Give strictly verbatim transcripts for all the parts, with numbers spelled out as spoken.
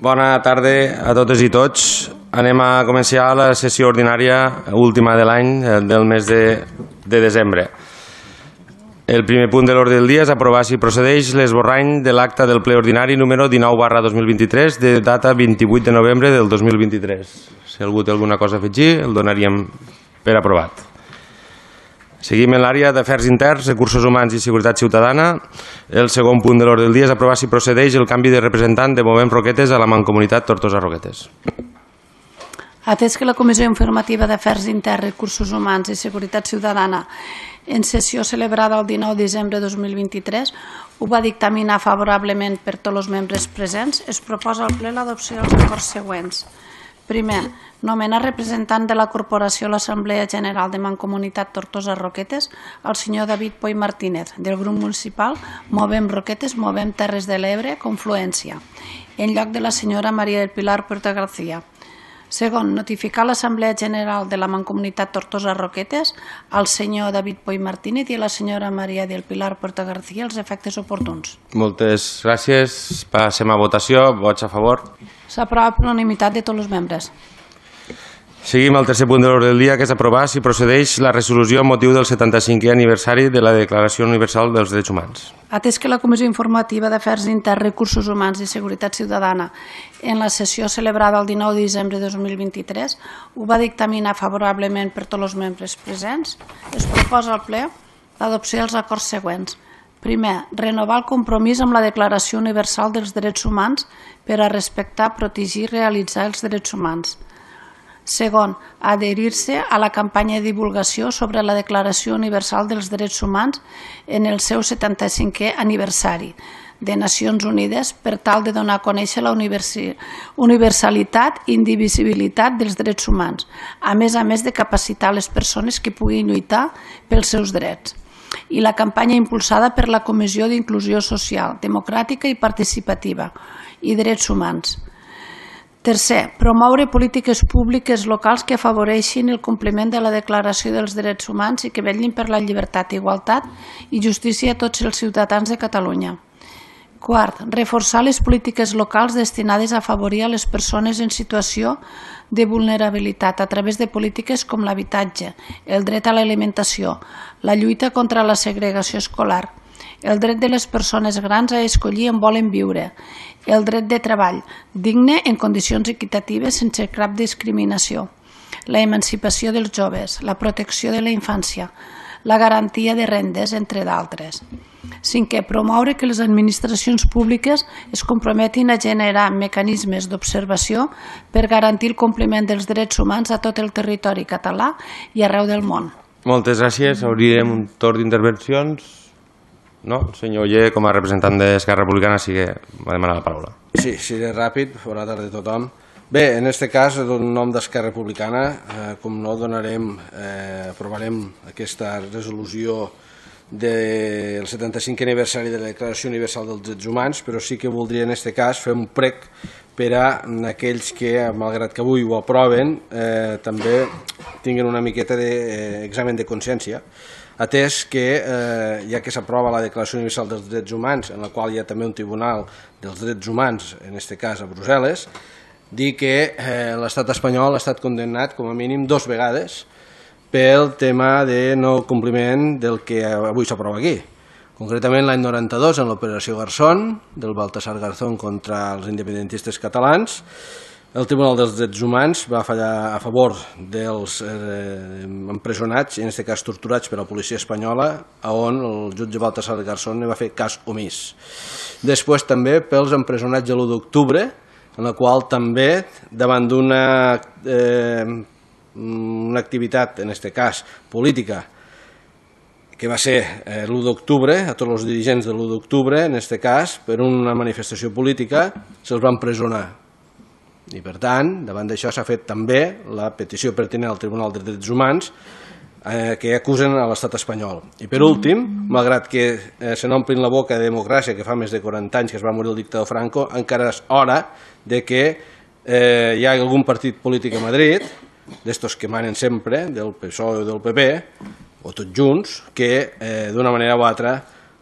Bona tarda a totes i tots. Anem a començar la sessió ordinària última de l'any, del mes de, de desembre. El primer punt de l'ordre del dia és aprovar si procedeix l'esborrany de l'acta del ple ordinari número dinou barra dos mil vint-i-tres de data vint-i-vuit de novembre del dos mil vint-i-tres. Si algú té alguna cosa a afegir, el donaríem per aprovat. Seguim en l'àrea d'Afers Interns, Recursos Humans i Seguretat Ciutadana. El segon punt de l'ordre del dia és aprovar si procedeix el canvi de representant de Movem Roquetes a la Mancomunitat Tortosa Roquetes. Atès que la Comissió Informativa d'Afers Interns, Recursos Humans i Seguretat Ciutadana en sessió celebrada el dinou de desembre de dos mil vint-i-tres ho va dictaminar favorablement per tots els membres presents, es proposa al ple l'adopció dels acords següents. Primer, nomenar representant de la Corporació a l'Assemblea General de Mancomunitat Tortosa Roquetes el senyor David Poy Martínez, del grup municipal Movem Roquetes, Movem Terres de l'Ebre, Confluència, en lloc de la senyora Maria del Pilar Puerta García. Segon, notificar a l'Assemblea General de la Mancomunitat Tortosa Roquetes al senyor David Poy Martínez i a la senyora Maria del Pilar Puerta García els efectes oportuns. Moltes gràcies. Passem a votació. Vots a favor. S'aprova per unanimitat de tots els membres. Seguim al tercer punt de l'ordre del dia, que és aprovar si procedeix la resolució amb motiu del setanta-cinquè aniversari de la Declaració Universal dels Drets Humans. Atès que la Comissió Informativa d'Afers Interns, Recursos Humans i Seguretat Ciutadana en la sessió celebrada el dinou de desembre de dos mil vint-i-tres ho va dictaminar favorablement per tots els membres presents, es proposa al ple l'adopció dels acords següents. Primer, renovar el compromís amb la Declaració Universal dels Drets Humans per a respectar, protegir i realitzar els drets humans. Segon, adherir-se a la campanya de divulgació sobre la Declaració Universal dels Drets Humans en el seu setanta-cinquè aniversari de Nacions Unides per tal de donar a conèixer la universalitat i indivisibilitat dels drets humans, a més a més de capacitar les persones que puguin lluitar pels seus drets. I la campanya impulsada per la Comissió d'Inclusió Social, Democràtica i Participativa i Drets Humans. Tercer, promoure polítiques públiques locals que afavoreixin el compliment de la Declaració dels Drets Humans i que vetllin per la llibertat, igualtat i justícia a tots els ciutadans de Catalunya. Quart, reforçar les polítiques locals destinades a afavorir a les persones en situació de vulnerabilitat a través de polítiques com l'habitatge, el dret a l'alimentació, la lluita contra la segregació escolar, el dret de les persones grans a escollir on volen viure, el dret de treball digne en condicions equitatives sense cap discriminació, la emancipació dels joves, la protecció de la infància, la garantia de rendes, entre d'altres. Cinquè, promoure que les administracions públiques es comprometin a generar mecanismes d'observació per garantir el compliment dels drets humans a tot el territori català i arreu del món. Moltes gràcies. Obrirem un torn d'intervencions. No? El senyor Oller, com a representant d'Esquerra Republicana, sí que va demanar la paraula. Sí, seré ràpid. Bona tarda a tothom. Bé, en aquest cas, en nom d'Esquerra Republicana, eh, com no, donarem, eh, aprovarem aquesta resolució del setanta-cinquè aniversari de la Declaració Universal dels Drets Humans, però sí que voldria en aquest cas fer un prec per a aquells que, malgrat que avui ho aproven, eh, també tinguin una miqueta d'examen de consciència, atès que eh, ja que s'aprova la Declaració Universal dels Drets Humans, en la qual hi ha també un Tribunal dels Drets Humans, en aquest cas a Brussel·les, dir que eh, l'estat espanyol ha estat condemnat com a mínim dues vegades pel tema de no compliment del que avui s'aprova aquí. Concretament l'any noranta-dos en l'operació Garzón, del Baltasar Garzón contra els independentistes catalans, el Tribunal dels Drets Humans va fallar a favor dels eh, empresonats, en aquest cas torturats per la policia espanyola, on el jutge Baltasar Garzón va fer cas omís. Després també pels empresonats de l'u d'octubre, en la qual també, davant d'una eh, una activitat, en aquest cas política, que va ser eh, l'u d'octubre, a tots els dirigents de l'u d'octubre, en aquest cas, per una manifestació política, se'ls va empresonar. I per tant, davant d'això s'ha fet també la petició pertinent al Tribunal dels Drets Humans eh, que acusen a l'estat espanyol. I per últim, malgrat que eh, se n'omplin la boca de democràcia, que fa més de quaranta anys que es va morir el dictador Franco, encara és hora de que eh, hi ha algun partit polític a Madrid, d'estos que manen sempre, del P S O E o del P P, o tots junts, que eh, d'una manera o altra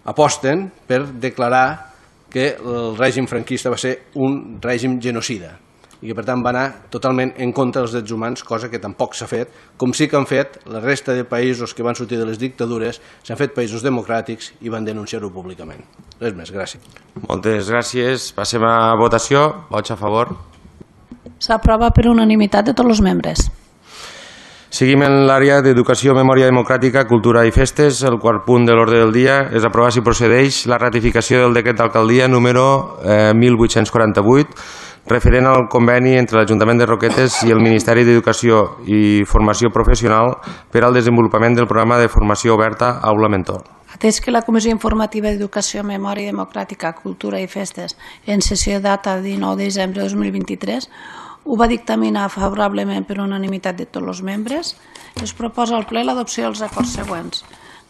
aposten per declarar que el règim franquista va ser un règim genocida i que per tant va anar totalment en contra dels drets humans, cosa que tampoc s'ha fet, com sí que han fet la resta de països que van sortir de les dictadures, s'han fet països democràtics i van denunciar-ho públicament. Res més, gràcies. Moltes gràcies. Passem a votació. Vots a favor. S'aprova per unanimitat de tots els membres. Seguim en l'àrea d'Educació, Memòria Democràtica, Cultura i Festes. El quart punt de l'ordre del dia és aprovar si procedeix la ratificació del decret d'alcaldia número eh, mil vuit-cents quaranta-vuit referent al conveni entre l'Ajuntament de Roquetes i el Ministeri d'Educació i Formació Professional per al desenvolupament del programa de formació oberta Aula Mentor. Atès que la Comissió Informativa d'Educació, Memòria Democràtica, Cultura i Festes, en sessió data dinou de desembre de dos mil vint-i-tres, ho va dictaminar favorablement per unanimitat de tots els membres, es proposa al ple l'adopció dels acords següents.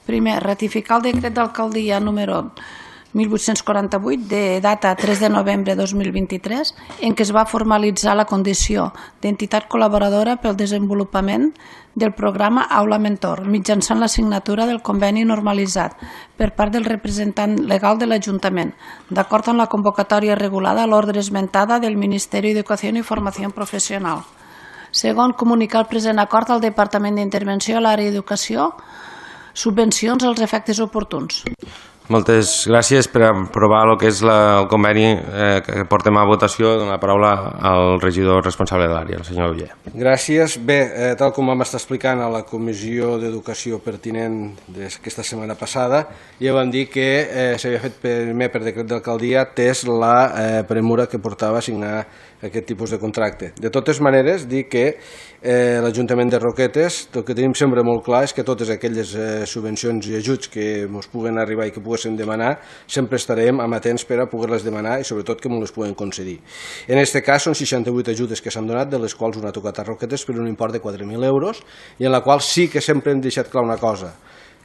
Primer, ratificar el decret d'alcaldia número mil vuit-cents quaranta-vuit de data tres de novembre de dos mil vint-i-tres en què es va formalitzar la condició d'entitat col·laboradora pel desenvolupament del programa Aula Mentor mitjançant la signatura del conveni normalitzat per part del representant legal de l'Ajuntament, d'acord amb la convocatòria regulada a l'ordre esmentada del Ministeri d'Educació i Formació Professional. Segon, comunicar el present acord al Departament d'Intervenció a l'àrea d'Educació, subvencions als efectes oportuns. Moltes gràcies. Per aprovar el que és la, el conveni eh, que portem a votació. Dono la paraula al regidor responsable de l'àrea, el senyor Uller. Gràcies. Bé, eh, tal com vam estar explicant a la comissió d'educació pertinent d'aquesta setmana passada, ja vam dir que eh, s'havia fet primer per decret d'alcaldia atès la eh, premura que portava a signar aquest tipus de contracte. De totes maneres, dir que eh, l'Ajuntament de Roquetes, el que tenim sempre molt clar és que totes aquelles eh, subvencions i ajuts que ens puguen arribar i que poguéssim demanar, sempre estarem amatents per a poder-les demanar i sobretot que ens les puguen concedir. En aquest cas són seixanta-vuit ajudes que s'han donat, de les quals una ha tocat a Roquetes per un import de quatre mil euros i en la qual sí que sempre hem deixat clar una cosa,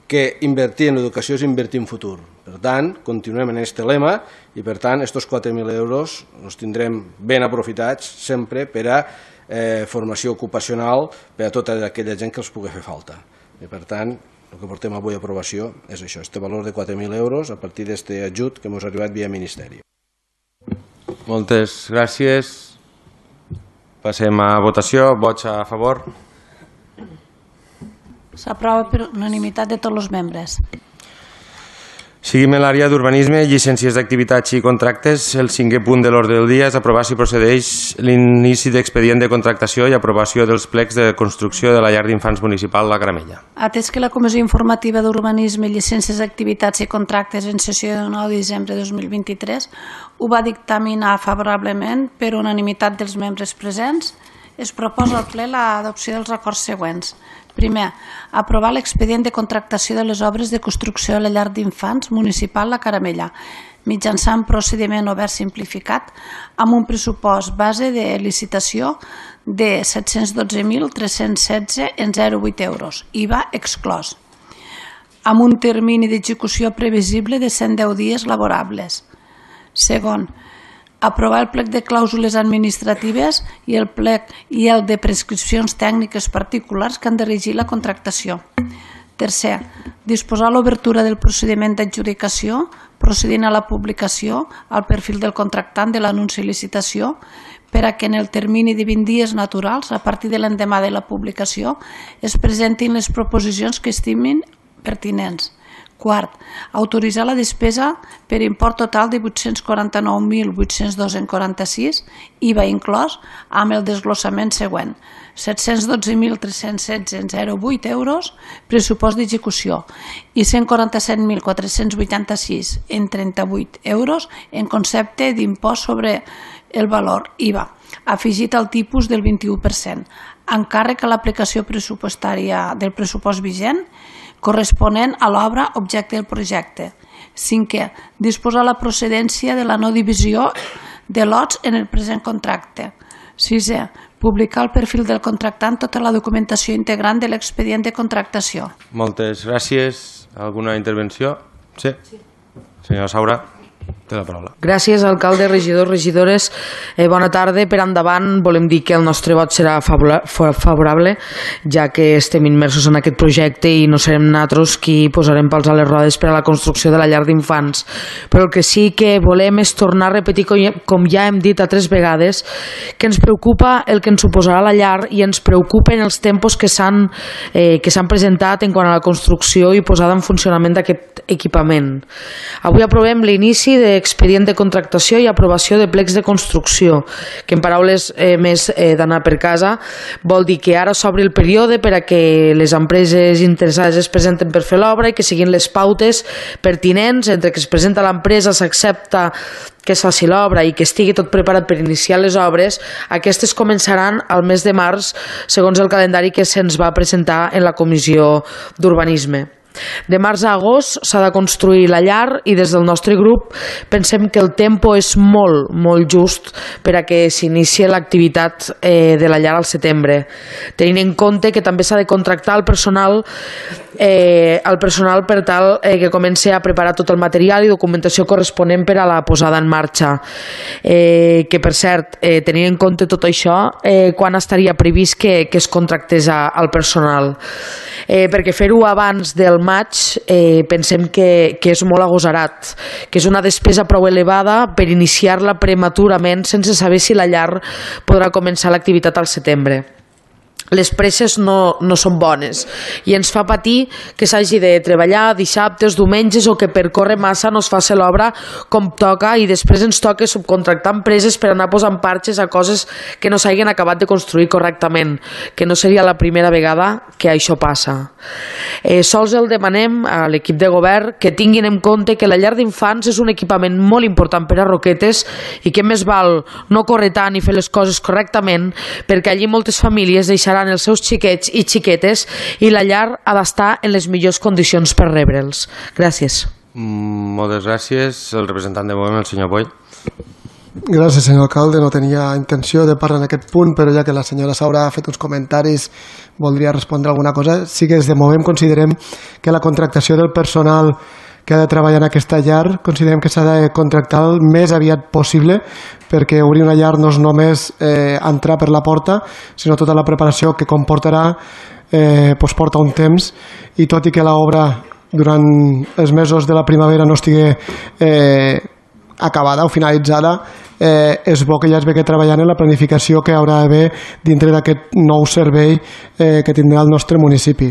que invertir en l'educació és invertir en futur. Per tant, continuem en aquest lema i per tant, aquests quatre mil euros els tindrem ben aprofitats sempre per a eh, formació ocupacional per a tota aquella gent que els pugui fer falta. I per tant, el que portem avui a aprovació és això, este valor de quatre mil euros a partir d'aquest ajut que ens ha arribat via Ministeri. Moltes gràcies. Passem a votació. Vots a favor. S'aprova per unanimitat de tots els membres. Seguim en l'àrea d'urbanisme, llicències d'activitats i contractes. El cinquè punt de l'ordre del dia és aprovar si procedeix l'inici d'expedient de contractació i aprovació dels plecs de construcció de la llar d'infants municipal La Caramella. Atès que la Comissió Informativa d'Urbanisme, Llicències d'activitats i contractes en sessió de nou de desembre de dos mil vint-i-tres ho va dictaminar favorablement per unanimitat dels membres presents, es proposa al ple l'adopció dels acords següents. Primer, aprovar l'expedient de contractació de les obres de construcció a la llar d'infants municipal La Caramella, mitjançant procediment obert simplificat amb un pressupost base de licitació de set-cents dotze mil tres-cents setze en zero coma vuit euros, I V A exclòs, amb un termini d'execució previsible de cent deu dies laborables. Segon, aprovar el plec de clàusules administratives i el plec i el de prescripcions tècniques particulars que han de regir la contractació. Tercer, disposar l'obertura del procediment d'adjudicació procedint a la publicació al perfil del contractant de l'anunci i licitació per a que en el termini de vint dies naturals, a partir de l'endemà de la publicació, es presentin les proposicions que estimin pertinents. Quart, autoritzar la despesa per import total de vuit-cents quaranta-nou mil vuit-cents dos coma quaranta-sis, I V A inclòs, amb el desglossament següent. set-cents dotze mil tres-cents setze en zero coma vuit euros, pressupost d'execució, i cent quaranta-set mil quatre-cents vuitanta-sis en trenta-vuit euros en concepte d'impost sobre el valor I V A, afegit al tipus del vint-i-u per cent, encàrrec a l'aplicació pressupostària del pressupost vigent, corresponent a l'obra objecte del projecte. Cinquè, disposar la procedència de la no divisió de lots en el present contracte. Sisè, publicar el perfil del contractant tota la documentació integrant de l'expedient de contractació. Moltes gràcies. Alguna intervenció? Sí. Senyora Saura. Té la paraula. Gràcies, alcalde, regidors, regidores. Eh, bona tarda. Per endavant volem dir que el nostre vot serà favorable, ja que estem immersos en aquest projecte i no serem nosaltres qui posarem pals a les rodes per a la construcció de la llar d'infants. Però el que sí que volem és tornar a repetir, com ja hem dit altres vegades, que ens preocupa el que ens suposarà la llar i ens preocupen els tempos que s'han eh, que s'han presentat en quant a la construcció i posada en funcionament d'aquest equipament. Avui aprovem l'inici de expedient de contractació i aprovació de plecs de construcció, que en paraules eh, més eh, d'anar per casa vol dir que ara s'obri el període per a que les empreses interessades es presenten per fer l'obra i que siguin les pautes pertinents entre que es presenta l'empresa, s'accepta que es faci l'obra i que estigui tot preparat per iniciar les obres. Aquestes començaran al mes de març segons el calendari que se'ns va presentar en la Comissió d'Urbanisme. De març a agost s'ha de construir la llar i des del nostre grup pensem que el tempo és molt, molt just per a que s'inicie l'activitat eh, de la llar al setembre, tenint en compte que també s'ha de contractar el personal eh, el personal per tal eh, que comenci a preparar tot el material i documentació corresponent per a la posada en marxa. Eh, que per cert, eh, tenint en compte tot això, eh, quan estaria previst que, que es contractés a, al personal? Eh, perquè fer-ho abans del maig eh, pensem que, que és molt agosarat, que és una despesa prou elevada per iniciar-la prematurament sense saber si la llar podrà començar l'activitat al setembre. Les presses no, no són bones i ens fa patir que s'hagi de treballar dissabtes, diumenges o que per córrer massa no es faci l'obra com toca i després ens toca subcontractar empreses per anar posant parxes a coses que no s'hagin acabat de construir correctament, que no seria la primera vegada que això passa. Eh, sols el demanem a l'equip de govern que tinguin en compte que la llar d'infants és un equipament molt important per a Roquetes i que més val no córrer tant i fer les coses correctament perquè allí moltes famílies deixaran els seus xiquets i xiquetes i la llar ha d'estar en les millors condicions per rebre'ls. Gràcies. Mm, moltes gràcies. El representant de Movem, el senyor Boy. Gràcies, senyor alcalde. No tenia intenció de parlar en aquest punt, però ja que la senyora Saura ha fet uns comentaris, voldria respondre alguna cosa. Sí que des de Movem considerem que la contractació del personal que ha de treballar en aquesta llar, considerem que s'ha de contractar el més aviat possible perquè obrir una llar no és només eh, entrar per la porta, sinó tota la preparació que comportarà eh, doncs porta un temps i tot i que l'obra durant els mesos de la primavera no estigui eh, acabada o finalitzada, eh, és bo que ja es ve que treballant en la planificació que haurà d'haver dintre d'aquest nou servei eh, que tindrà el nostre municipi.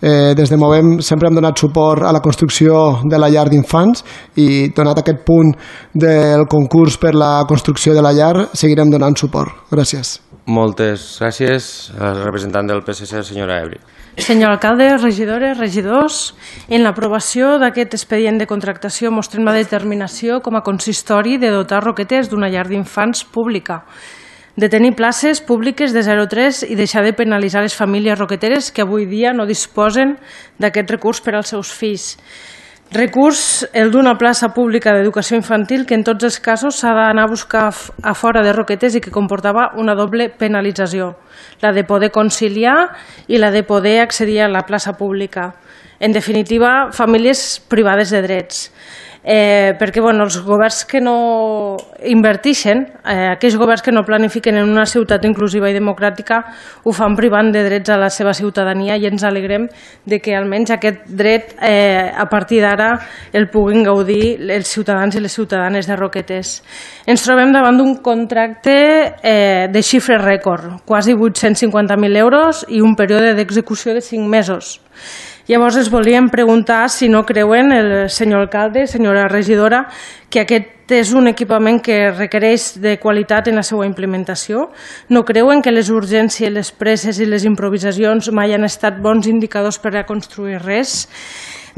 Eh, des de Movem sempre hem donat suport a la construcció de la llar d'infants i donat aquest punt del concurs per la construcció de la llar seguirem donant suport. Gràcies. Moltes gràcies. El representant del P S C, senyora Ebri. Senyor alcalde, regidores, regidors, en l'aprovació d'aquest expedient de contractació mostrem la determinació com a consistori de dotar Roquetes d'una llar d'infants pública, de tenir places públiques de zero a tres i deixar de penalitzar les famílies roqueteres que avui dia no disposen d'aquest recurs per als seus fills. Recurs, el d'una plaça pública d'educació infantil que en tots els casos s'ha d'anar a buscar a fora de Roquetes i que comportava una doble penalització, la de poder conciliar i la de poder accedir a la plaça pública. En definitiva, famílies privades de drets. Eh, perquè bueno, els governs que no invertixen, eh, aquells governs que no planifiquen en una ciutat inclusiva i democràtica ho fan privant de drets a la seva ciutadania i ens alegrem de que almenys aquest dret eh, a partir d'ara el puguin gaudir els ciutadans i les ciutadanes de Roquetes. Ens trobem davant d'un contracte eh, de xifres rècord, quasi vuit-cents cinquanta mil euros i un període d'execució de cinc mesos. Llavors es volíem preguntar si no creuen el senyor alcalde, senyora regidora, que aquest és un equipament que requereix de qualitat en la seva implementació. No creuen que les urgències, les presses i les improvisacions mai han estat bons indicadors per a construir res?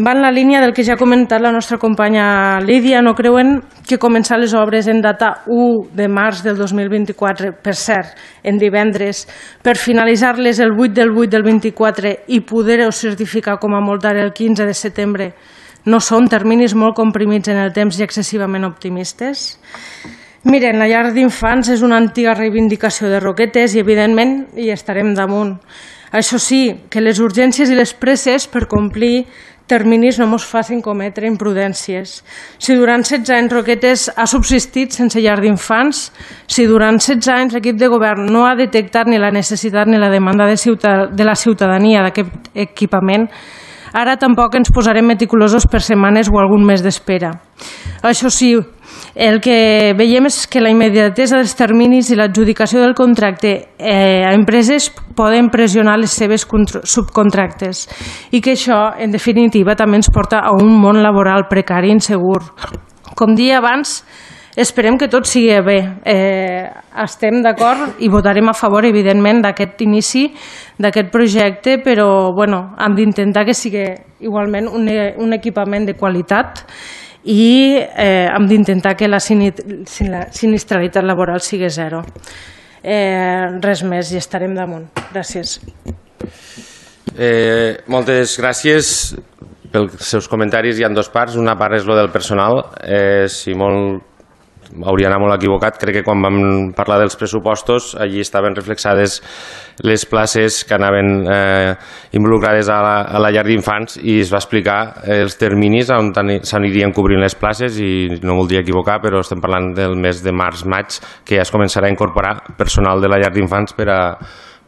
Va en la línia del que ja ha comentat la nostra companya Lídia. No creuen que començar les obres en data u de març del dos mil vint-i-quatre, per cert, en divendres, per finalitzar-les el vuit del vuit del vint-i-quatre i poder-ho certificar com a molt tard el quinze de setembre, no són terminis molt comprimits en el temps i excessivament optimistes? Miren, la llar d'infants és una antiga reivindicació de Roquetes i, evidentment, hi estarem damunt. Això sí, que les urgències i les presses per complir terminis no ens facin cometre imprudències. Si durant setze anys Roquetes ha subsistit sense llar d'infants, si durant setze anys l'equip de govern no ha detectat ni la necessitat ni la demanda de, ciutad de la ciutadania d'aquest equipament, ara tampoc ens posarem meticulosos per setmanes o algun mes d'espera. Això sí, el que veiem és que la immediatesa dels terminis i l'adjudicació del contracte eh, a empreses poden pressionar les seves subcontractes i que això, en definitiva, també ens porta a un món laboral precari i insegur. Com dia abans, esperem que tot sigui bé. Eh, estem d'acord i votarem a favor, evidentment, d'aquest inici, d'aquest projecte, però bueno, hem d'intentar que sigui igualment un, un equipament de qualitat i eh, hem d'intentar que la, la sinistralitat laboral sigui zero. Eh, res més i estarem damunt. Gràcies. Eh, moltes gràcies pels seus comentaris. Hi ha dues parts. Una part és lo del personal. Eh, si molt hauria anat molt equivocat, crec que quan vam parlar dels pressupostos allí estaven reflexades les places que anaven eh, involucrades a la, a la llar d'infants i es va explicar els terminis on s'anirien cobrint les places i no voldria equivocar, però estem parlant del mes de març-maig que ja es començarà a incorporar personal de la llar d'infants per a,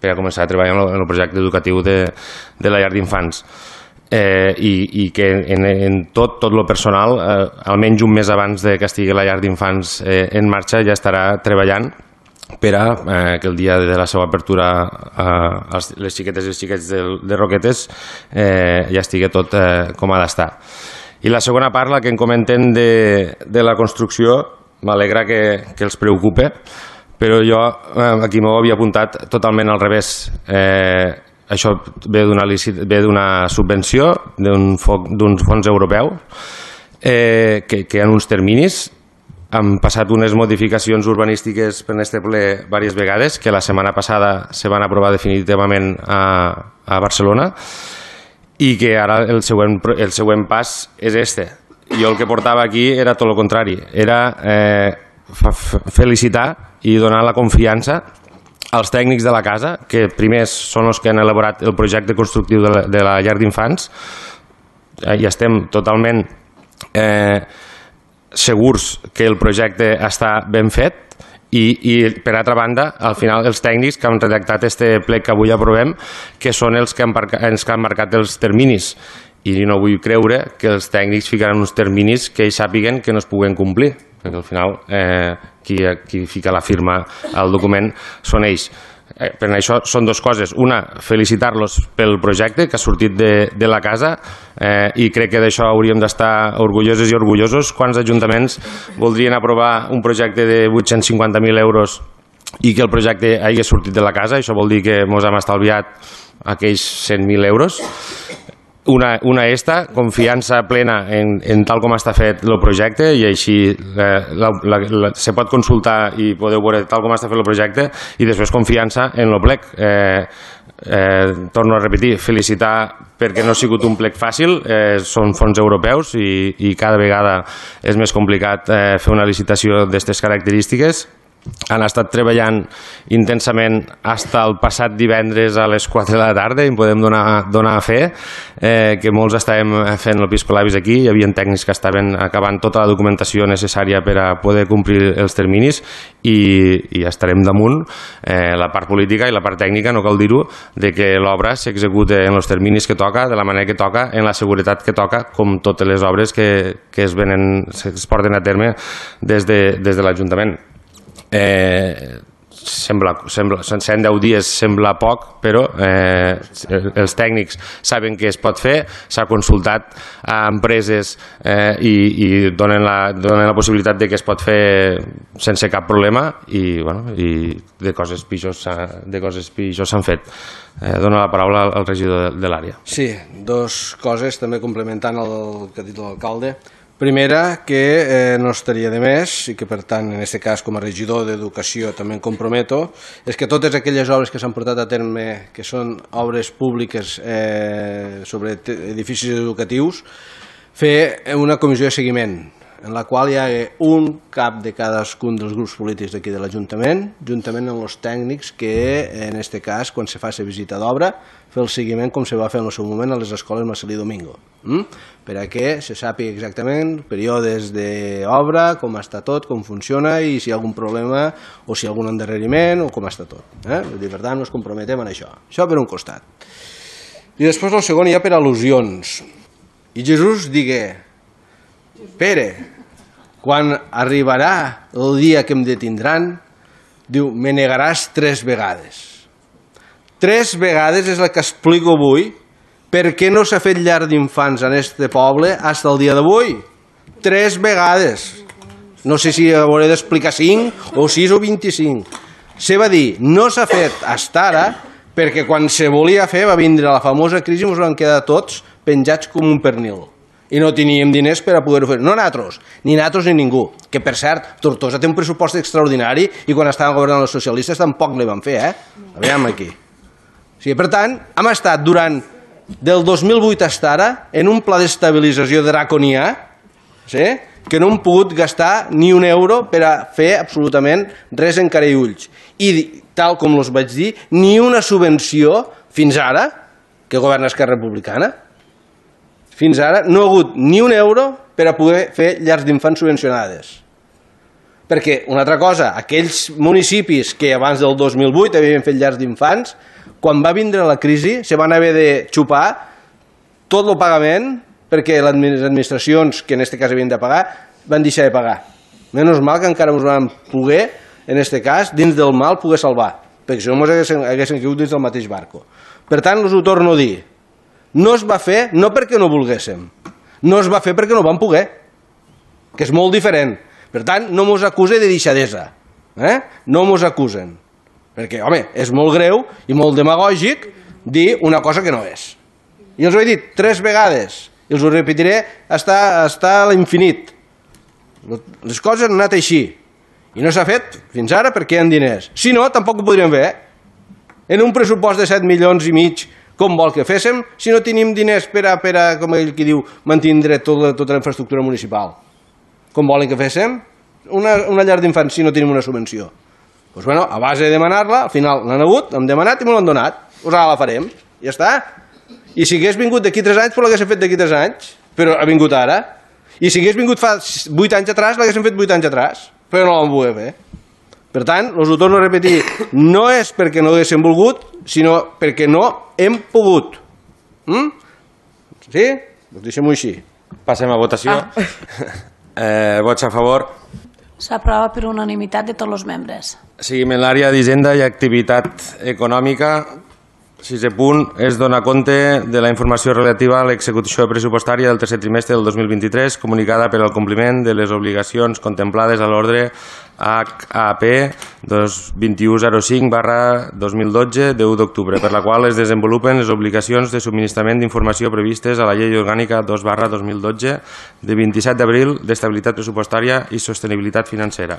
per a començar a treballar en el projecte educatiu de, de la llar d'infants. Eh, i, i que en, en tot, tot el personal, eh, almenys un mes abans de que estigui la llar d'infants eh, en marxa, ja estarà treballant per a eh, que el dia de la seva apertura eh, les xiquetes i els xiquets de, de Roquetes eh, ja estigui tot eh, com ha d'estar. I la segona part, la que en comenten de, de la construcció, m'alegra que, que els preocupe, però jo eh, aquí m'ho havia apuntat totalment al revés. Eh, Això ve d'una subvenció d'un fons europeu eh, que, que en uns terminis han passat unes modificacions urbanístiques per este ple diverses vegades, que la setmana passada se van aprovar definitivament a, a Barcelona i que ara el següent, el següent pas és este. Jo el que portava aquí era tot el contrari, era eh, felicitar i donar la confiança als tècnics de la casa, que primers són els que han elaborat el projecte constructiu de la, de la llar d'infants, i estem totalment eh, segurs que el projecte està ben fet, i, i per altra banda, al final els tècnics que han redactat este plec que avui aprovem, que són els que han, els que han marcat els terminis, i no vull creure que els tècnics ficaran uns terminis que ells sàpiguen que no es puguen complir, perquè al final eh, qui, qui fica la firma al document són ells. Eh, per això són dues coses. Una, felicitar-los pel projecte que ha sortit de, de la casa eh, i crec que d'això hauríem d'estar orgulloses i orgullosos. Quants ajuntaments voldrien aprovar un projecte de vuit-cents cinquanta mil euros i que el projecte hagi sortit de la casa? Això vol dir que ens hem estalviat aquells cent mil euros. Una, una esta, confiança plena en, en tal com està fet el projecte i així eh, la, la, la, se pot consultar i podeu veure tal com està fet el projecte i després confiança en el plec. Eh, eh, torno a repetir, felicitar perquè no ha sigut un plec fàcil, eh, són fons europeus i, i cada vegada és més complicat eh, fer una licitació d'aquestes característiques. Han estat treballant intensament fins el passat divendres a les quatre de la tarda i em podem donar, donar a fer eh, que molts estàvem fent el piscolabis aquí, hi havia tècnics que estaven acabant tota la documentació necessària per a poder complir els terminis i, i estarem damunt eh, la part política i la part tècnica, no cal dir-ho, de que l'obra s'execute en els terminis que toca, de la manera que toca, en la seguretat que toca, com totes les obres que, que es, venen, es porten a terme des de, des de l'Ajuntament. Eh, sembla, sembla, cent deu dies sembla poc, però eh, els tècnics saben que es pot fer, s'ha consultat a empreses eh, i, i donen, la, donen la possibilitat de que es pot fer sense cap problema i, bueno, i de coses pitjors, de coses pitjors s'han fet. Eh, dono la paraula al regidor de, de l'àrea. Sí, dos coses també complementant el que ha dit l'alcalde. Primera, que eh, no estaria de més i que per tant en aquest cas com a regidor d'Educació també em comprometo, és que totes aquelles obres que s'han portat a terme que són obres públiques eh, sobre edificis educatius, fer una comissió de seguiment. en la qual hi ha un cap de cadascun dels grups polítics d'aquí de l'Ajuntament, juntament amb els tècnics que, en aquest cas, quan se fa la visita d'obra, fer el seguiment com se va fer en el seu moment a les escoles Marcelí Domingo, mm? per a que se sàpiga exactament períodes d'obra, com està tot, com funciona i si hi ha algun problema o si hi ha algun endarreriment o com està tot. Eh? Vull dir, per tant, ens comprometem en això. Això per un costat. I després el segon hi ha per al·lusions. I Jesús digué: Pere, quan arribarà el dia que em detindran, diu, me negaràs tres vegades. Tres vegades és el que explico avui per què no s'ha fet llar d'infants en este poble fins al dia d'avui. Tres vegades. No sé si hauré d'explicar cinc o sis o vint-i-cinc. Se va dir, no s'ha fet fins ara perquè quan se volia fer va vindre la famosa crisi i ens van quedar tots penjats com un pernil. I no teníem diners per a poder-ho fer. No nosaltres, ni nosaltres ni ningú. Que, per cert, Tortosa té un pressupost extraordinari i quan estaven governant els socialistes tampoc li van fer, eh? Aviam aquí. O sigui, per tant, hem estat durant del dos mil vuit fins ara en un pla d'estabilització draconià, sí? que no hem pogut gastar ni un euro per a fer absolutament res en cara i ulls. I, tal com us vaig dir, ni una subvenció fins ara, que governa Esquerra Republicana, fins ara no ha hagut ni un euro per a poder fer llars d'infants subvencionades. Perquè, una altra cosa, aquells municipis que abans del dos mil vuit havien fet llars d'infants, quan va vindre la crisi se van haver de xupar tot el pagament perquè les administracions, que en aquest cas havien de pagar, van deixar de pagar. Menys mal que encara ens van poder, en aquest cas, dins del mal, poder salvar, perquè si no ens haguessin, haguessin caigut dins del mateix barco. Per tant, us ho torno a dir, no es va fer no perquè no volguéssim, no es va fer perquè no vam poder, que és molt diferent. Per tant, no mos acuse de deixadesa, eh? no mos acusen, perquè, home, és molt greu i molt demagògic dir una cosa que no és. I els ho he dit tres vegades, i els ho repetiré fins a l'infinit. Les coses han anat així, i no s'ha fet fins ara perquè hi ha diners. Si no, tampoc ho podríem fer. En un pressupost de set milions i mig, com vol que féssim, si no tenim diners per a, per a com ell qui diu, mantindre tota, tota la infraestructura municipal. Com volen que féssim? Una, una llar d'infants si no tenim una subvenció. Doncs bueno, a base de demanar-la, al final l'han hagut, hem demanat i me l'han donat. Doncs ara la farem, ja està. I si hagués vingut d'aquí tres anys, però l'haguéssim fet d'aquí tres anys, però ha vingut ara. I si hagués vingut fa vuit anys atrás, l'haguéssim fet vuit anys atrás, però no l'han pogut fer. Per tant, us ho torno a repetir, no és perquè no haguéssim volgut, sinó perquè no hem pogut. Mm? Sí? Doncs deixem-ho així. Passem a votació. Ah. Eh, vots a favor. S'aprova per unanimitat de tots els membres. Seguim en l'àrea d'Hisenda i Activitat Econòmica. Sisè punt és donar compte de la informació relativa a l'execució pressupostària del tercer trimestre del dos mil vint-i-tres comunicada per al compliment de les obligacions contemplades a l'ordre H A P vint u zero cinc barra dos mil dotze de u d'octubre, per la qual es desenvolupen les obligacions de subministrament d'informació previstes a la Llei Orgànica dos barra dos mil dotze de vint-i-set d'abril d'estabilitat pressupostària i sostenibilitat financera.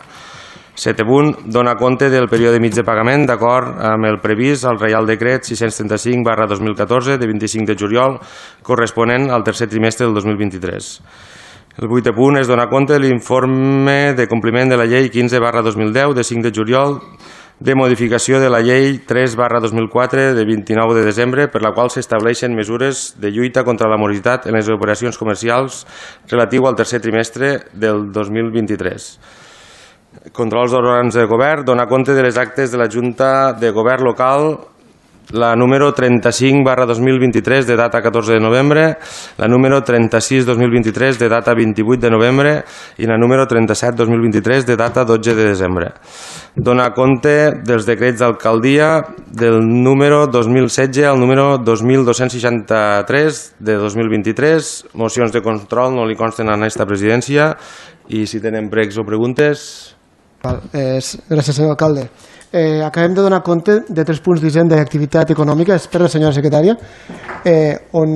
Setè punt, dona compte del període mig de pagament d'acord amb el previst al Reial Decret sis-cents trenta-cinc barra dos mil catorze de vint-i-cinc de juliol corresponent al tercer trimestre del dos mil vint-i-tres. El vuitè punt és donar compte de l'informe de compliment de la Llei quinze barra dos mil deu de cinc de juliol de modificació de la Llei tres barra dos mil quatre de vint-i-nou de desembre per la qual s'estableixen mesures de lluita contra la morositat en les operacions comercials relatiu al tercer trimestre del dos mil vint-i-tres. Controls d'òrgans de govern, donar compte de les actes de la Junta de Govern Local, la número trenta-cinc barra dos mil vint-i-tres de data catorze de novembre, la número trenta-sis dos mil vint-i-tres de data vint-i-vuit de novembre i la número trenta-set dos mil vint-i-tres de data dotze de desembre. Donar compte dels decrets d'alcaldia del número dos mil setze al número dos mil dos-cents seixanta-tres de dos mil vint-i-tres. Mocions de control no li consten a aquesta presidència i si tenen pregs o preguntes... Val, eh, gràcies, senyor alcalde. Eh, acabem de donar compte de tres punts d'hisenda i activitat econòmica, és per la senyora secretària, eh, on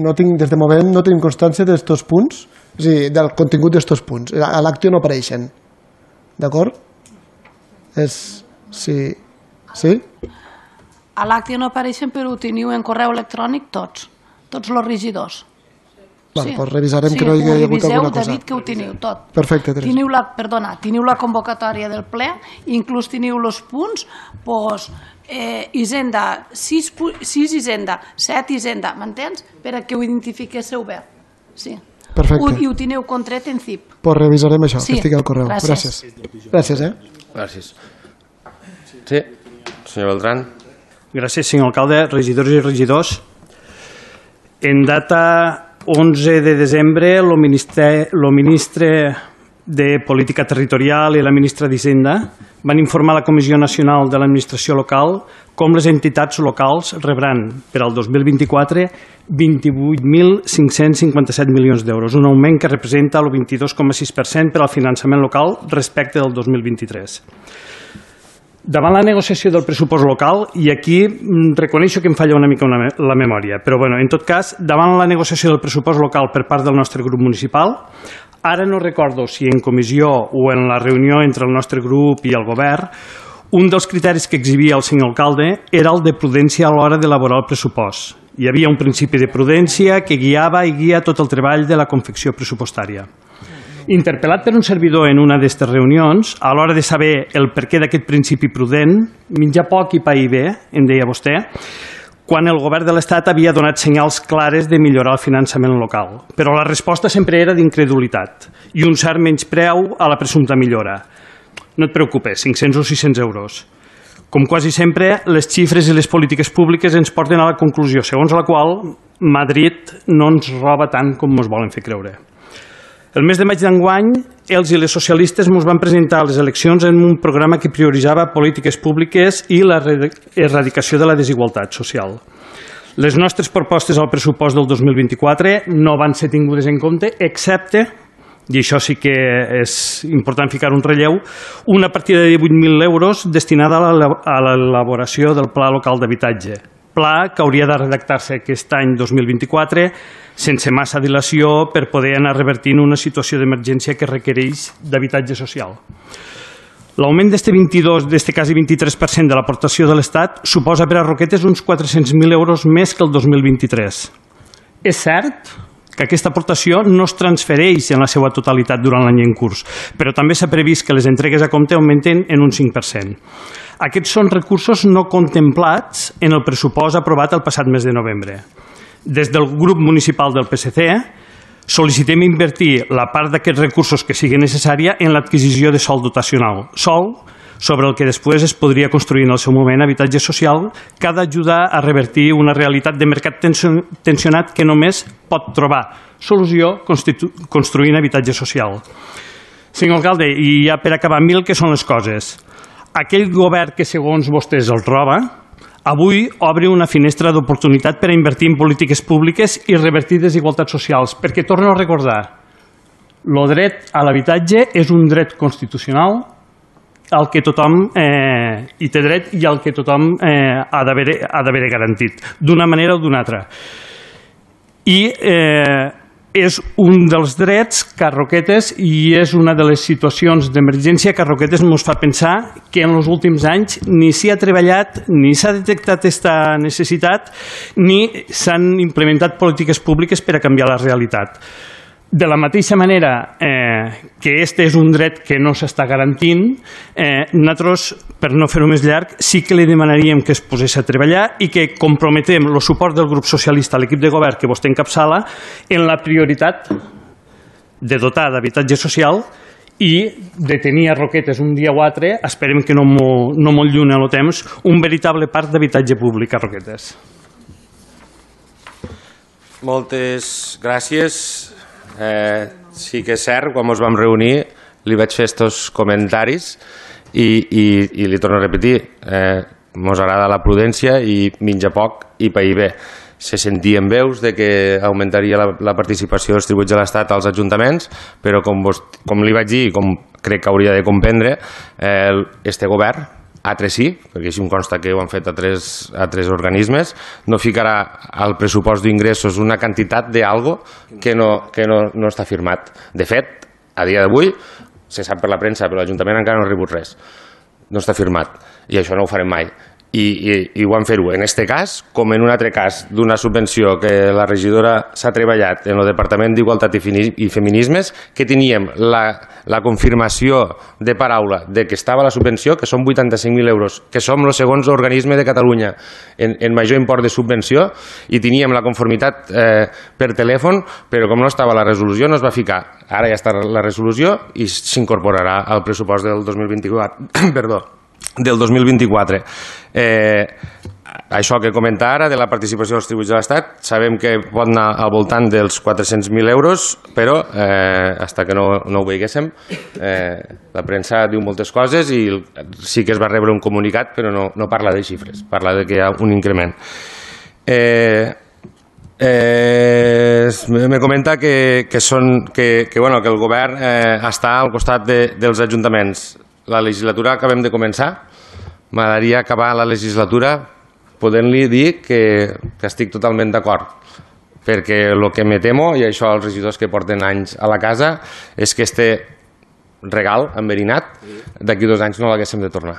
no tinc, des de moment no tenim constància d'estos punts, és a dir, del contingut d'estos punts. A l'acte no apareixen. D'acord? És... Sí. Sí? A l'acte no apareixen, però ho teniu en correu electrònic tots, tots els regidors. Vale, doncs revisarem que no hi hagi hagut alguna cosa. David, que ho teniu tot. Perfecte, Teresa. Teniu la, perdona, teniu la convocatòria del ple, inclús teniu els punts, doncs, eh, Hisenda, sis, sis Hisenda, set Hisenda, m'entens? Per a que ho identifiquéssiu bé. Sí. Perfecte. I ho teniu contret en C I P. Doncs revisarem això, sí. que estigui al correu. Gràcies. Gràcies. Gràcies, eh? Gràcies. Sí, senyor Beltrán. Gràcies, senyor alcalde, regidors i regidors. En data onze de desembre, el ministre, el ministre de Política Territorial i la ministra d'Hisenda van informar a la Comissió Nacional de l'Administració Local com les entitats locals rebran per al dos mil vint-i-quatre vint-i-vuit mil cinc-cents cinquanta-set milions d'euros, un augment que representa el vint-i-dos coma sis per cent per al finançament local respecte del dos mil vint-i-tres. Davant la negociació del pressupost local, i aquí reconeixo que em falla una mica una, la memòria, però bueno, en tot cas, davant la negociació del pressupost local per part del nostre grup municipal, ara no recordo si en comissió o en la reunió entre el nostre grup i el govern, un dels criteris que exhibia el senyor alcalde era el de prudència a l'hora d'elaborar el pressupost. Hi havia un principi de prudència que guiava i guia tot el treball de la confecció pressupostària. Interpel·lat per un servidor en una d'aquestes reunions, a l'hora de saber el perquè d'aquest principi prudent, menjar poc i pair bé, em deia vostè, quan el govern de l'Estat havia donat senyals clares de millorar el finançament local. Però la resposta sempre era d'incredulitat i un cert menyspreu a la presumpta millora. No et preocupes, cinc-cents o sis-cents euros. Com quasi sempre, les xifres i les polítiques públiques ens porten a la conclusió segons la qual Madrid no ens roba tant com ens volen fer creure. El mes de maig d'enguany, els i les socialistes ens van presentar a les eleccions en un programa que prioritzava polítiques públiques i la erradicació de la desigualtat social. Les nostres propostes al pressupost del dos mil vint-i-quatre no van ser tingudes en compte, excepte, i això sí que és important ficar un relleu, una partida de divuit mil euros destinada a l'elaboració del Pla Local d'Habitatge. Pla que hauria de redactar-se aquest any dos mil vint-i-quatre sense massa dilació per poder anar revertint una situació d'emergència que requereix d'habitatge social. L'augment d'este vint-i-dos, d'este quasi vint-i-tres per cent de l'aportació de l'Estat suposa per a Roquetes uns quatre-cents mil euros més que el dos mil vint-i-tres. És cert que aquesta aportació no es transfereix en la seva totalitat durant l'any en curs, però també s'ha previst que les entregues a compte augmenten en un cinc per cent. Aquests són recursos no contemplats en el pressupost aprovat el passat mes de novembre. Des del grup municipal del P S C sol·licitem invertir la part d'aquests recursos que sigui necessària en l'adquisició de sòl dotacional, sòl sobre el que després es podria construir en el seu moment habitatge social que ha d'ajudar a revertir una realitat de mercat tensionat que només pot trobar solució construint habitatge social. Senyor alcalde, i ja per acabar, mil que són les coses. Aquell govern que segons vostès el roba, avui obre una finestra d'oportunitat per a invertir en polítiques públiques i revertir desigualtats socials, perquè torno a recordar, el dret a l'habitatge és un dret constitucional al que tothom eh, hi té dret i al que tothom eh, ha d'haver garantit, d'una manera o d'una altra. I eh, és un dels drets que a Roquetes, i és una de les situacions d'emergència que a Roquetes ens fa pensar que en els últims anys ni s'hi ha treballat, ni s'ha detectat aquesta necessitat, ni s'han implementat polítiques públiques per a canviar la realitat. De la mateixa manera eh, que este és un dret que no s'està garantint, eh, nosaltres, per no fer-ho més llarg, sí que li demanaríem que es posés a treballar i que comprometem el suport del grup socialista a l'equip de govern que vostè encapçala en la prioritat de dotar d'habitatge social i de tenir a Roquetes un dia o altre, esperem que no molt no molt lluny en el temps, un veritable parc d'habitatge públic a Roquetes. Moltes gràcies. Eh, sí que és cert, quan ens vam reunir li vaig fer estos comentaris i, i, i li torno a repetir, eh, ens agrada la prudència i menja poc i pair bé. Se sentien veus de que augmentaria la, la participació dels tributs de l'Estat als ajuntaments, però com, vos, com li vaig dir i com crec que hauria de comprendre, eh, este govern, altres sí, perquè així em consta que ho han fet a tres, a tres organismes, no ficarà al pressupost d'ingressos una quantitat d'algo que, no, que no, no està firmat. De fet, a dia d'avui, se sap per la premsa, però l'Ajuntament encara no ha rebut res. No està firmat, i això no ho farem mai. i, i, i ho vam fer-ho en aquest cas com en un altre cas d'una subvenció que la regidora s'ha treballat en el Departament d'Igualtat i Feminismes, que teníem la, la confirmació de paraula de que estava la subvenció, que són vuitanta-cinc mil euros, que som el segon organisme de Catalunya en, en major import de subvenció, i teníem la conformitat eh, per telèfon, però com no estava la resolució no es va ficar. Ara ja està la resolució i s'incorporarà al pressupost del dos mil vint-i-quatre. Perdó. del dos mil vint-i-quatre. Eh, això que comenta ara de la participació dels tributs de l'Estat, sabem que pot anar al voltant dels quatre-cents mil euros, però eh, fins que no, no ho veiéssim, eh, la premsa diu moltes coses i sí que es va rebre un comunicat, però no, no parla de xifres, parla de que hi ha un increment. Eh, eh, me comenta que, que, són, que, que, bueno, que el govern eh, està al costat de, dels ajuntaments. La legislatura acabem de començar. M'agradaria acabar la legislatura podent-li dir que, que estic totalment d'acord, perquè el que me temo, i això els regidors que porten anys a la casa, és que este regal enverinat d'aquí dos anys no l'haguéssim de tornar.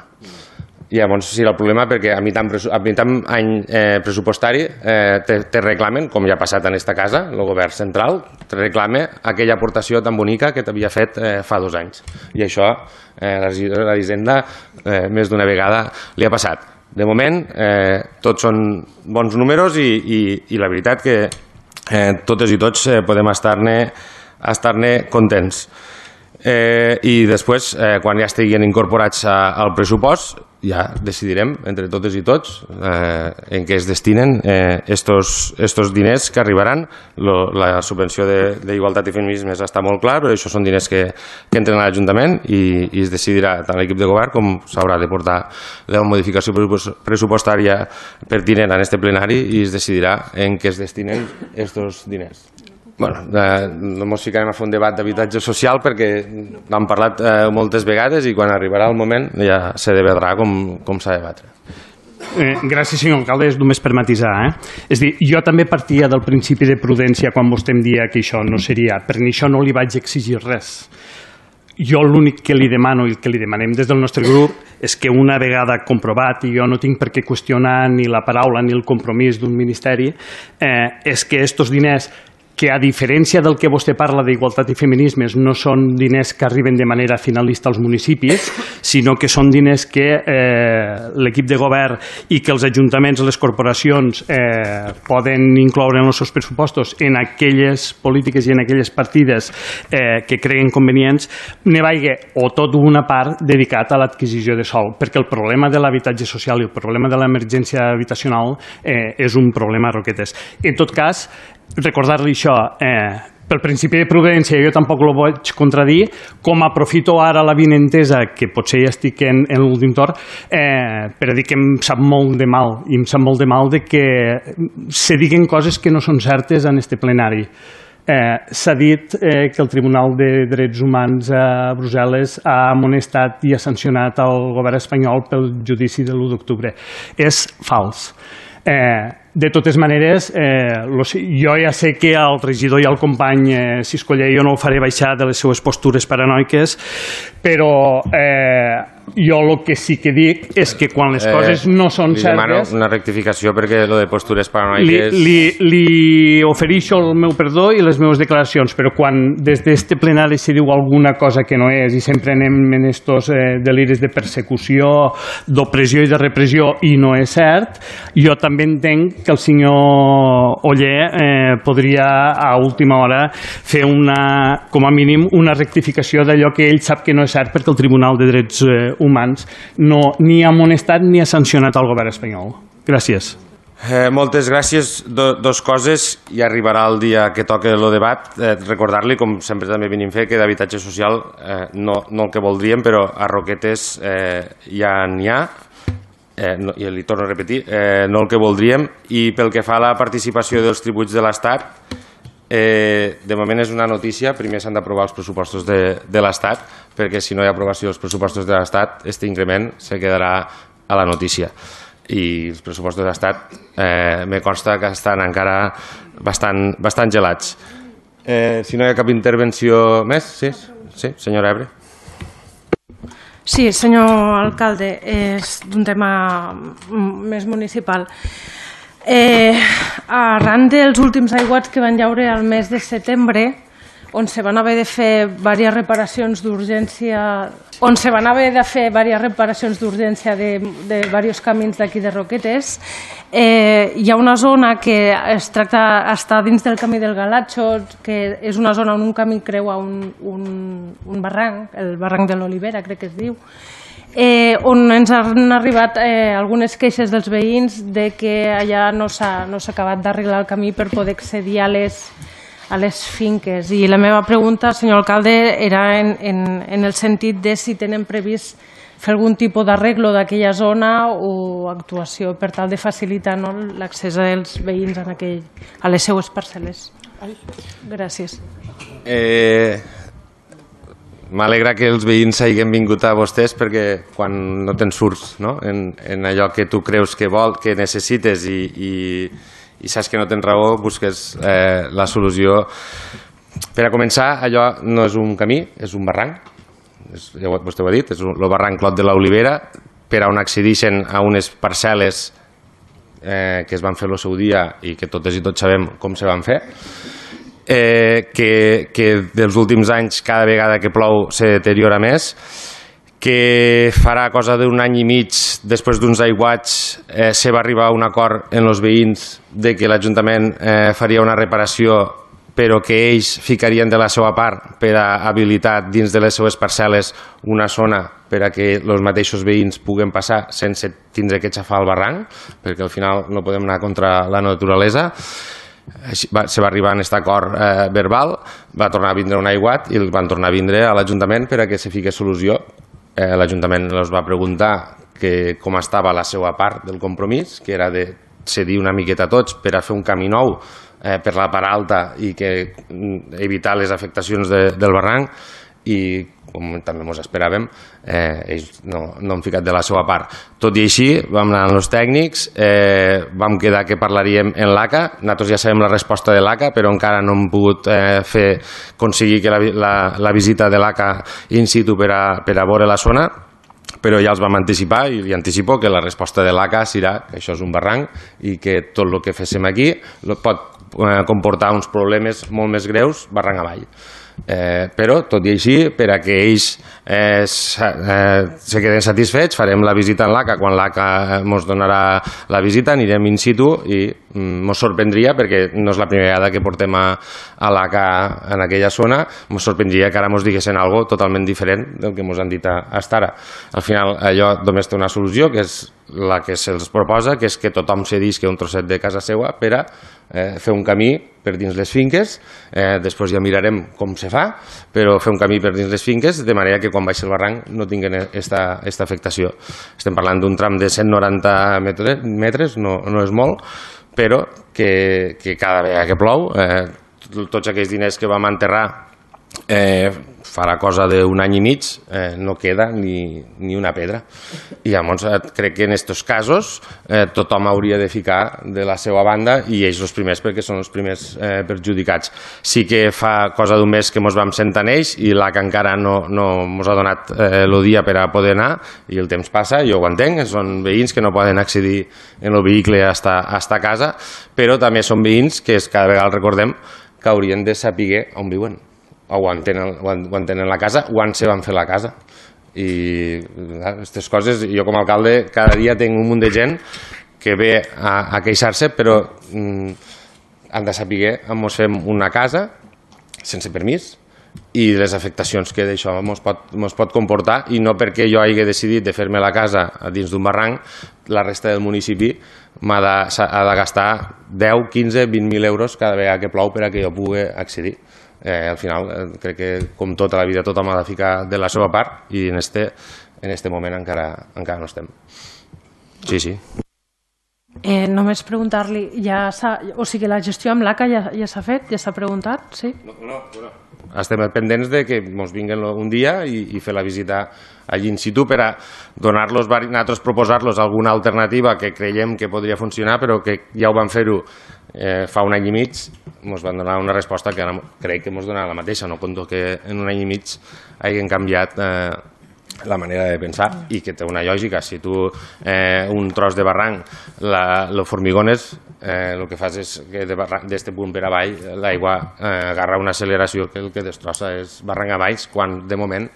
I llavors sí, el problema, perquè a mitjan, a mitjan any eh, pressupostari eh, te, te reclamen, com ja ha passat en aquesta casa, el govern central, te reclama aquella aportació tan bonica que t'havia fet eh, fa dos anys. I això eh, la regidora d'Hisenda eh, més d'una vegada li ha passat. De moment, eh, tots són bons números i, i, i la veritat que eh, totes i tots eh, podem estar-ne estar-ne contents. Eh, I després, eh, quan ja estiguin incorporats a, al pressupost, ja decidirem entre totes i tots eh, en què es destinen eh, estos, estos diners que arribaran. Lo, la subvenció d'Igualtat i Feminismes està molt clar, però això són diners que, que entren a l'Ajuntament i, i es decidirà tant l'equip de govern com s'haurà de portar la modificació pressupostària pertinent en este plenari i es decidirà en què es destinen estos diners. Bueno, eh, no ens ficarem a fer un debat d'habitatge social perquè n'hem parlat eh, moltes vegades i quan arribarà el moment ja se debatrà com, com s'ha de debatre. Eh, gràcies, senyor alcalde. És només per matisar. Eh? És dir, jo també partia del principi de prudència quan vostè em dia que això no seria. Per això no li vaig exigir res. Jo l'únic que li demano i que li demanem des del nostre grup és que una vegada comprovat, i jo no tinc per què qüestionar ni la paraula ni el compromís d'un ministeri, eh, és que estos diners, que a diferència del que vostè parla d'igualtat i feminismes, no són diners que arriben de manera finalista als municipis, sinó que són diners que eh, l'equip de govern i que els ajuntaments, les corporacions eh, poden incloure en els seus pressupostos en aquelles polítiques i en aquelles partides eh, que creguin convenients, ne vagi o tot una part dedicat a l'adquisició de sòl, perquè el problema de l'habitatge social i el problema de l'emergència habitacional eh, és un problema a roquetes. En tot cas, recordar-li això, eh, pel principi de prudència jo tampoc el vaig contradir, com aprofito ara la vinentesa, que potser ja estic en, en l'últim torn, eh, per a dir que em sap molt de mal, i em sap molt de mal de que se diguen coses que no són certes en este plenari. Eh, S'ha dit eh, que el Tribunal de Drets Humans a Brussel·les ha amonestat i ha sancionat el govern espanyol pel judici de l'u d'octubre. És fals. Eh, de totes maneres, eh, lo, jo ja sé que el regidor i el company eh, Siscoller jo no el faré baixar de les seues postures paranoiques, però eh, jo el que sí que dic és que quan les coses no són certes... Li demano una rectificació perquè lo de postures paranoiques... Li, li, li ofereixo el meu perdó i les meves declaracions, però quan des d'este plenari se diu alguna cosa que no és i sempre anem en estos eh, deliris de persecució, d'opressió i de repressió i no és cert, jo també entenc que el senyor Oller eh, podria a última hora fer una, com a mínim una rectificació d'allò que ell sap que no és cert perquè el Tribunal de Drets eh, Humans no, ni ha amonestat ni ha sancionat el govern espanyol. Gràcies. Eh, moltes gràcies. Do, dos coses, i arribarà el dia que toque el debat. Eh, recordar-li, com sempre també venim a fer, que d'habitatge social eh, no, no el que voldríem, però a Roquetes eh, ja n'hi ha. Eh, no, i li torno a repetir, eh, no el que voldríem, i pel que fa a la participació dels tributs de l'Estat, eh, de moment és una notícia. Primer s'han d'aprovar els pressupostos de, de l'Estat, perquè si no hi ha aprovació dels pressupostos de l'Estat, aquest increment se quedarà a la notícia. I els pressupostos de l'Estat eh, me consta que estan encara bastant, bastant gelats. Eh, si no hi ha cap intervenció més, sí, sí, senyora Ebre. Sí, senyor alcalde, és d'un tema més municipal. Eh, arran dels últims aiguats que van llaure al mes de setembre, on se van haver de fer diverses reparacions d'urgència on se van haver de fer diverses reparacions d'urgència de, de diversos camins d'aquí de Roquetes. Eh, hi ha una zona que es tracta, està dins del camí del Galatxo, que és una zona on un camí creua un, un, un barranc, el barranc de l'Olivera, crec que es diu, eh, on ens han arribat eh, algunes queixes dels veïns de que allà no s'ha no s'ha acabat d'arreglar el camí per poder accedir a les a les finques. I la meva pregunta, senyor alcalde, era en, en, en el sentit de si tenen previst fer algun tipus d'arreglo d'aquella zona o actuació per tal de facilitar, no, l'accés dels veïns en aquell, a les seues parcel·les. Gràcies. Eh, M'alegra que els veïns hagin vingut a vostès, perquè quan no te'n surts, no? en, en allò que tu creus que vol, que necessites i, i i saps que no tens raó, busques eh, la solució. Per a començar, allò no és un camí, és un barranc, és, ja vostè ho ha dit, és el barranc Clot de l'Olivera, per a on accedeixen a unes parcel·les eh, que es van fer el seu dia i que totes i tots sabem com se van fer, eh, que, que dels últims anys cada vegada que plou se deteriora més, que farà cosa d'un any i mig després d'uns aiguats eh, se va arribar a un acord en els veïns de que l'Ajuntament eh, faria una reparació, però que ells ficarien de la seva part per a habilitar dins de les seues parcel·les una zona per a que els mateixos veïns puguen passar sense tindre que xafar el barranc, perquè al final no podem anar contra la naturalesa. Va, se va arribar a aquest acord eh, verbal, va tornar a vindre un aiguat i el van tornar a vindre a l'Ajuntament per a que se fiqui solució. Eh, L'Ajuntament els va preguntar que com estava la seva part del compromís, que era de cedir una miqueta a tots per a fer un camí nou eh, per la part alta i que evitar les afectacions de, del barranc, i com també ens esperàvem, eh, ells no, no han ficat de la seva part. Tot i així, vam anar amb els tècnics, eh, vam quedar que parlaríem en l'A C A, nosaltres ja sabem la resposta de l'A C A, però encara no hem pogut eh, fer, aconseguir que la, la, la visita de l'A C A in situ per a, per a veure la zona, però ja els vam anticipar i li anticipo que la resposta de l'A C A serà que això és un barranc i que tot el que féssim aquí pot eh, comportar uns problemes molt més greus barranc avall. Eh, però, tot i així, per a que ells eh, eh, se queden satisfets, farem la visita en l'A C A. Quan l'A C A ens donarà la visita anirem in situ i ens mm, sorprendria, perquè no és la primera vegada que portem a, a l'A C A en aquella zona, ens sorprendria que ara ens diguessin alguna cosa totalment diferent del que ens han dit fins ara. Al final allò només té una solució, que és la que se'ls proposa, que és que tothom cedisca un trosset de casa seva per a eh, fer un camí per dins les finques, eh, després ja mirarem com se fa, però fer un camí per dins les finques de manera que quan baixi el barranc no tinguin aquesta, aquesta afectació. Estem parlant d'un tram de cent noranta metres, no, no és molt, però que, que cada vegada que plou, eh, tots aquells diners que vam enterrar eh, farà cosa d'un any i mig, eh, no queda ni, ni una pedra. I llavors eh, crec que en aquests casos eh, tothom hauria de ficar de la seva banda i ells els primers, perquè són els primers eh, perjudicats. Sí que fa cosa d'un mes que ens vam sentar en ells i l'A C A encara no, no ens ha donat eh, el dia per a poder anar i el temps passa, jo ho entenc, són veïns que no poden accedir en el vehicle hasta, hasta casa, però també són veïns que cada vegada recordem que haurien de saber on viuen, o ho entenen, ho entenen la casa, o on se van fer la casa. I aquestes coses, jo com a alcalde cada dia tinc un munt de gent que ve a, a queixar-se, però mm, han de saber on ens fem una casa sense permís i les afectacions que d'això ens pot, ens pot comportar, i no perquè jo hagi decidit de fer-me la casa dins d'un barranc, la resta del municipi m'ha de, ha de gastar deu, quinze, vint mil euros cada vegada que plou per a que jo pugui accedir. Eh, al final eh, crec que com tota la vida tothom ha de ficar de la seva part i en este, en este moment encara, encara no estem. Sí, sí. Eh, només preguntar-li, ja o sigui, la gestió amb l'A C A ja, ja s'ha fet? Ja s'ha preguntat? Sí? No, no, no. Estem pendents de que ens vinguin un dia i, i fer la visita allí in situ per a donar-los, nosaltres proposar-los alguna alternativa que creiem que podria funcionar, però que ja ho van fer-ho eh, fa un any i mig, ens van donar una resposta que ara crec que ens donarà la mateixa, no conto que en un any i mig hagin canviat eh, la manera de pensar i que té una lògica. Si tu eh, un tros de barranc el formigones, eh, el que fas és que d'aquest punt per avall l'aigua eh, agarra una acceleració que el que destrossa és barranc avall, quan de moment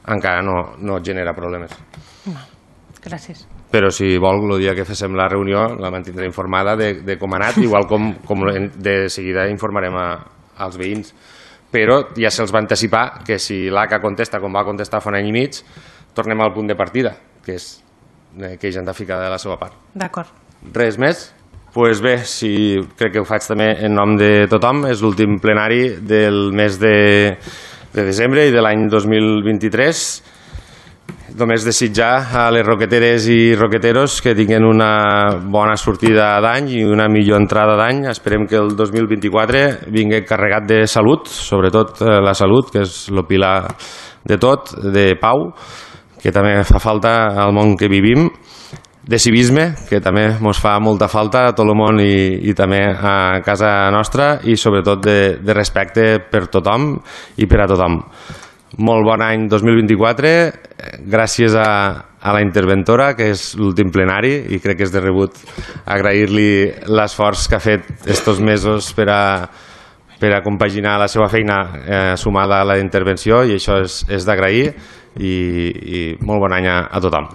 encara no, no genera problemes. Gràcies. Però si vol, el dia que fem la reunió la mantindré informada de, de com ha anat, igual com, com de seguida informarem a, als veïns. Però ja se'ls va anticipar que si l'A C A contesta com va contestar fa un any i mig, tornem al punt de partida, que és que ells han de ficar de la seva part. D'acord. Res més? Doncs pues bé, si crec que ho faig també en nom de tothom, és l'últim plenari del mes de, de desembre i de l'any dos mil vint-i-tres. Només desitjar a les roqueteres i roqueteros que tinguin una bona sortida d'any i una millor entrada d'any. Esperem que el dos mil vint-i-quatre vingui carregat de salut, sobretot la salut, que és el pilar de tot, de pau, que també fa falta al món que vivim, de civisme, que també ens fa molta falta a tot el món i, i també a casa nostra, i sobretot de, de respecte per tothom i per a tothom. Molt bon any dos mil vint-i-quatre, gràcies a, a la interventora, que és l'últim plenari, i crec que és de rebut agrair-li l'esforç que ha fet estos mesos per a, per a compaginar la seva feina eh, sumada a la intervenció, i això és, és d'agrair, i, i molt bon any a, a tothom.